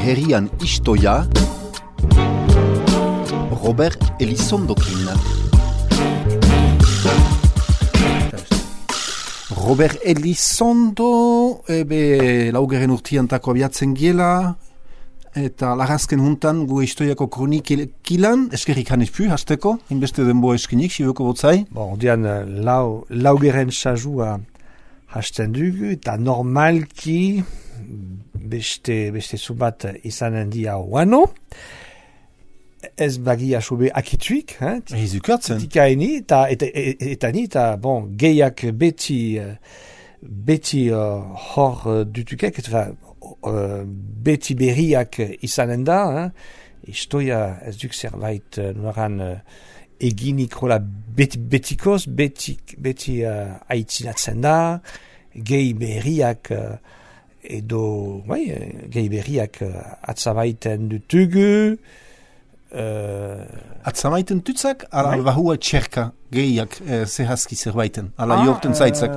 herrian istoia Robert Elizondokin. Robert Elizondo, laugeren urtiantako abiatzen giela, eta lagazken juntan gu historiako kronikilan, eskerrik hanizpu, hasteko, inbeste denbo eskinik, siboko botzai. Ordean, laugeren sajua hasten dugu, eta normalki beste zubat izanen dia oano, ez bagia sobe akituik, Izukatzen. Tikaini, eta ni, bon, gehiak beti hor dutukek, beti berriak izanen da, istoia ez duk zerbait noran eginik rola betikoz, beti aitzinatzen da, gehi berriak edo, gehi berriak atzabaiten dutugu, Atzamaiten tutzak, ala bahua txerka gehiak zehazki zerbaiten, ala jorten zaitzak.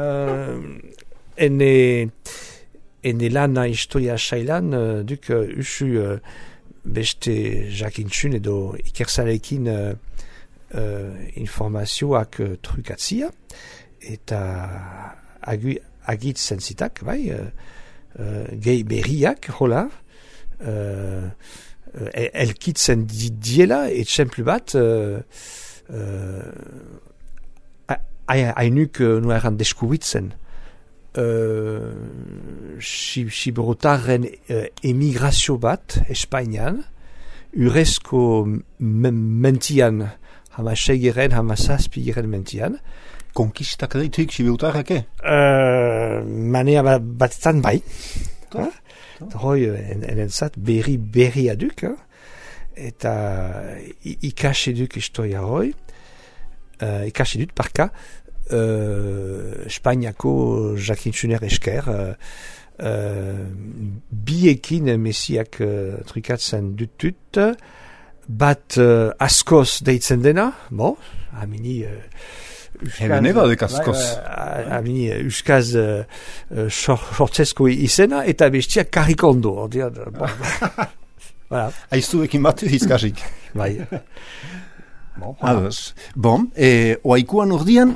Ene lana historia sailan, duk usu beste jakintxun edo ikersalekin informazioak trukatzia, eta agitzen zitak, gehi berriak, hola, elkitzen diela, etxemplu bat, hainuk nueran deskubitzen. Siberotaren emigrazio bat, Espainian, urezko mentian, hama segeren, hama zazpigeren mentian. Konkistak daituk siberotarrake? Manea batetan bai. Hoi, enentzat, berri aduk, eta ikasi duk historia hoi, ikasi dut parka, Espainiako jakintzuner esker, biekin mesiak trukatzen dutut, bat askoz deitzen dena, amini... Hebeneba dek askoz. Amini euskaz sortzesko izena, eta bestia karikondo. Aiztu ekin batu izkasik. Bai. Oaikuan ordian,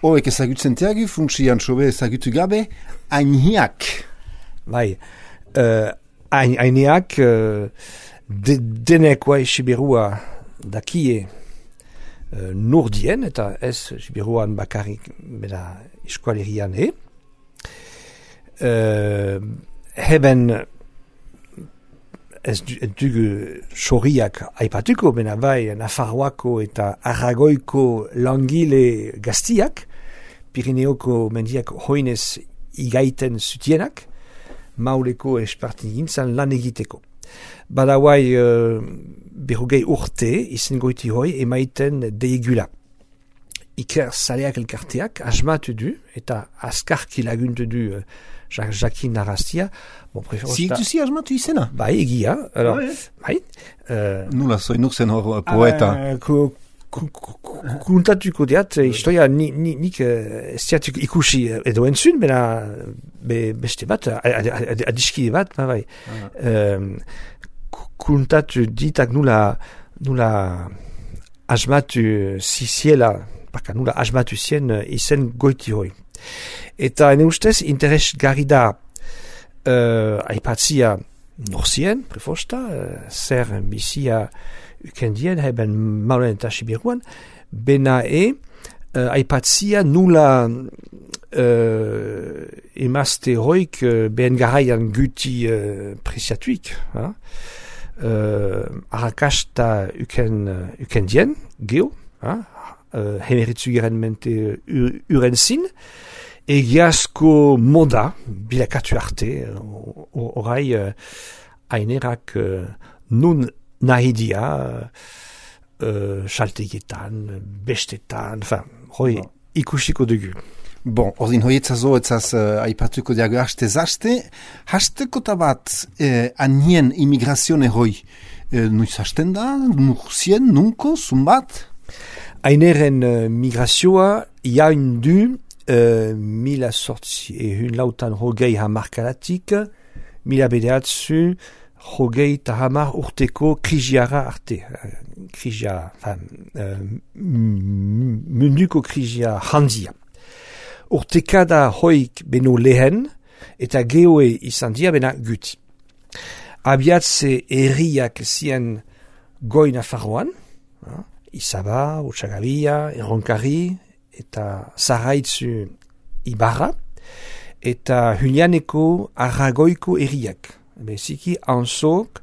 oek ezagutzen teagi, funtsian sobe ezagutu gabe, ainiak. Bai. Ainiak, denek oai siberua dakie, nordien, eta ez siberuan bakarrik bera eskualerian heben ez dugu soriak aipatuko, bena bai Nafarroako eta Aragoiko langile gaztiak, Pirineoko mendiak hoinez igaiten zutienak, mauleko espartin gintzan lan egiteko. Badauai berrogei urte izen goiti hoi emaiten deigula. Iker zaleak elkarteak asmatu du eta askarki laguntu du jakin narraztia. Zituzi asmatu izena? Bai, egia. Nula zoinuk zen hor poeta. Kuntatuko diat, historia nik estiatuk ikusi edo entzun, beste bat, adiskide bat, bai. Kuntatu ditak nula asmatu ziziela, nula asmatu zien izen goiti hoi. Eta ene ustez, interes gari da aipatzia norzien, prefosta, zer bizia ukendien, heben maulen eta siberuan, bena aipatzia nula emazte hoik behen garaian guti presiatuik, arrakasta ukendien, geo, hemeritzugiren mente uren zin, egiazko moda, bilakatu arte, orai ainerak nun nahidia, saltegetan, bestetan, hoi ikusiko dugu. Bon, ordin hoietzazo etzaz aipatuko diago hasteko tabat anien imigrazione hoi, nuiz hasten da, nurzien, nunko, zumbat? Aineren migrazioa jain du mila sortzi lautan hogei hamarkalatik, mila bedeatzu jogeita hamar urteko krisiara arte. Krisia, munduko krisia handia. Urtekada hoik beno lehen, eta geoe izan dia bena guti. Abiatze herriak zien goi Nafarroan, Izaba, Otsagabia, Erronkari, eta Zaraitzu Ibarra, eta Hunianeko Arragoiko herriak. Beziki Anzok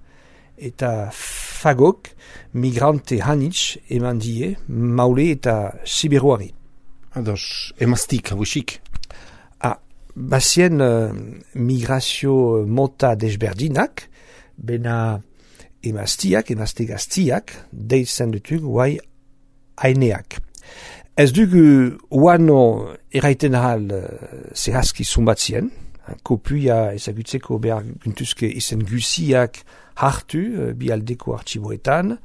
eta Fagok migrante hanitz eman die Maule eta Siberuari. Ados, emaztik, hauxik. Bazien migrazio mota desberdinak, bena emaztiak, emazte gaztiak, deitzen dutug guai aineak. Ez dugu uano eraiten ahal zehazki zumbatzien, kopuia ezagutzeko behar guntuzke izen guziak hartu bialdeko artxiboetan,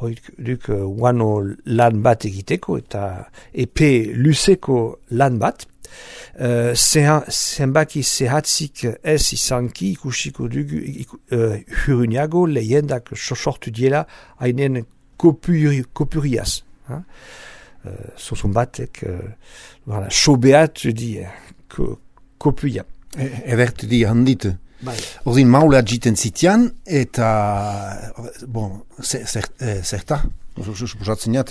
hoik duk uano lan bat egiteko eta epe luzeko lan bat. Zenbaki zehatzik ez izanki ikusiko dugu huruniago lehendak sortu diela hainen kopuriaz. Zozun batek sobeat di kopuia. Edertu di handitu. Ordin maulea jiten zitian eta zerta? Suposatzen jat,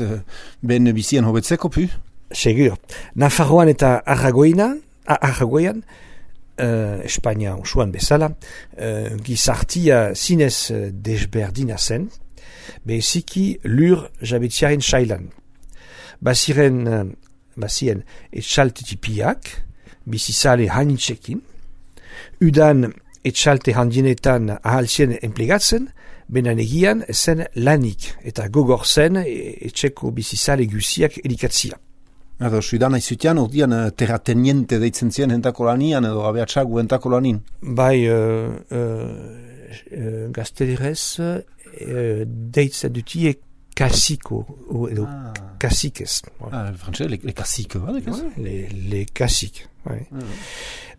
ben bizien hobetzeko pu? Segur. Nafarroan eta Arragoian, Espainia osoan bezala, gizartia zinez desberdina zen, beziki lur jabetziaren sailan. Bazien etxalte tipiak, bizizale hanitzekin, udan etxalte handienetan ahalzien enplegatzen, benan egian zen lanik eta gogor zen etxeko bizizale guziak elikatzia. Ados, udan aizutian, ordian terrateniente deitzen zien entako lanian edo abeatxagu entako lanin? Bai, gaztelerez deitzen dutie kasiko edo kasikez. Frantzese, le kasik, le kasik.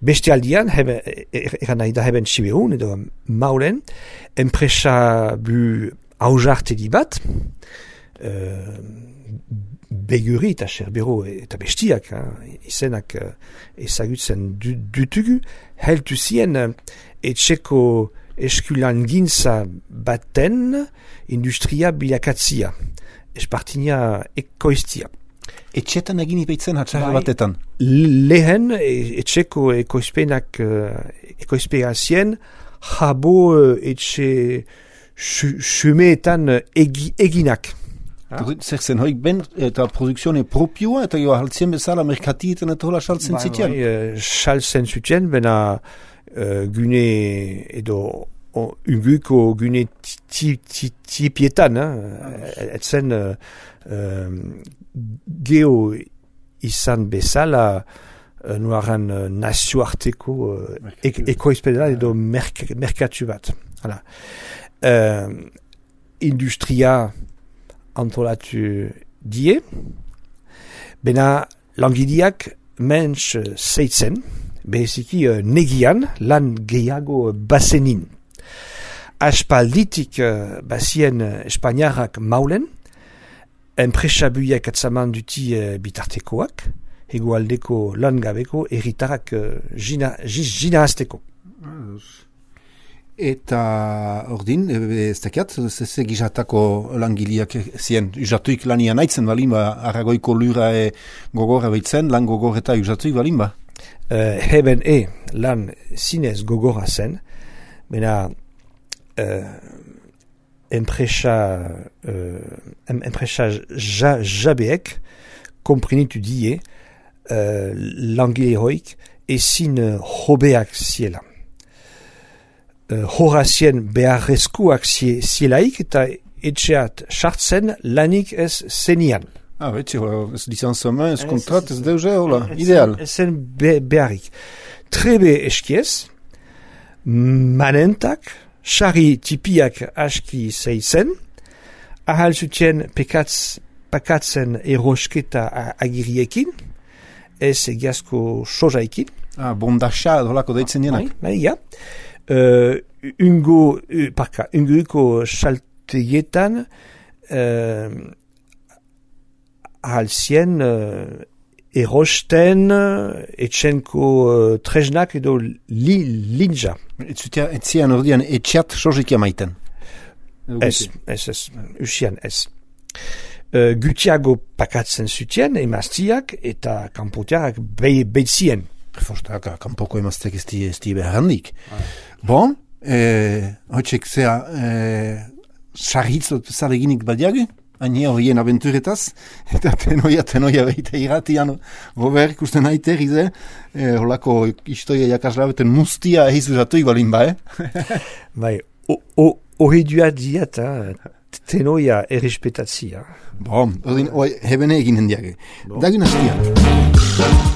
Beste aldian, eran nahi da heben Siberun edo Maulen, enpresa bu hausartedi bat, Beguri eta Cerbero eta bestiak, izenak ezagutzen dutugu, heltu zien etxeko eskulan gintza baten industria bilakatzia, espartinia ekoiztia. Etxetan egin ibeitzen hatxarra batetan? Lehen etxeko ekoizpeazien jabo etxe xumeetan eginak. Zer zen, hoik ben eta produkzione propioa eta joa haltzien bezala merkatietan eta hola saltzen zitien? Saltzen zitien, bena gune edo unguko gune tipietan, etzen geo izan bezala nuaran nazioarteko ekoizpedela edo merkatu bat. Industria antolatu die, bena langileak mensch zeitzen, beziki negian lan gehiago bazenin. Aspalditik bazien Espainiarrak Maulen, enpresa buiak atzaman duti bitartekoak, hegoaldeko lan gabeko erritarak jina azteko. Eta ordin, ez dakiat, ze gizatako langileak zien, usatuik lanian aitzen balin ba, Arragoiko lura gogorra behitzen, lan gogor eta usatuik balin ba? Heben lan zinez gogorra zen, bena enpresa jabeek komprenitu die langile hoik ezin hobeak ziela. Horazien beharrezkoak zielaik eta etxeat sartzen lanik ez zenian. Betxe, ez licenzamen, ez kontrat, ez deuze, hola, ideal. Ezen beharrik. Trebe eskiez, manentak, xari tipiak aski zeitzen, ahal zutien pakatzen erosketa agiriekin, ez egiazko sozaikin. Bondaxa, holako deitzen dienak. Ja. unguiko saltegietan ahalzien erosten etxenko tresnak edo linja. Etzian ordean etxeat sozikia maiten. Ez, usian ez. Gutiago pakatzen zutien, emaztiak eta kanpotiak behitzien. Fostak, kanpoko emazteak ez di behar handik. Bon, hoitzek zea sarritzot zareginik badiage, hain horien aventuretaz, eta tenoia behita irratian, Robert, ikusten haite, gize, holako historia jakasla beten mustia eizuzatu ibalin ba, Bai, ohidua diat, tenoia errespetatzia. Bon, hebene eginen diage. Dagin hastian.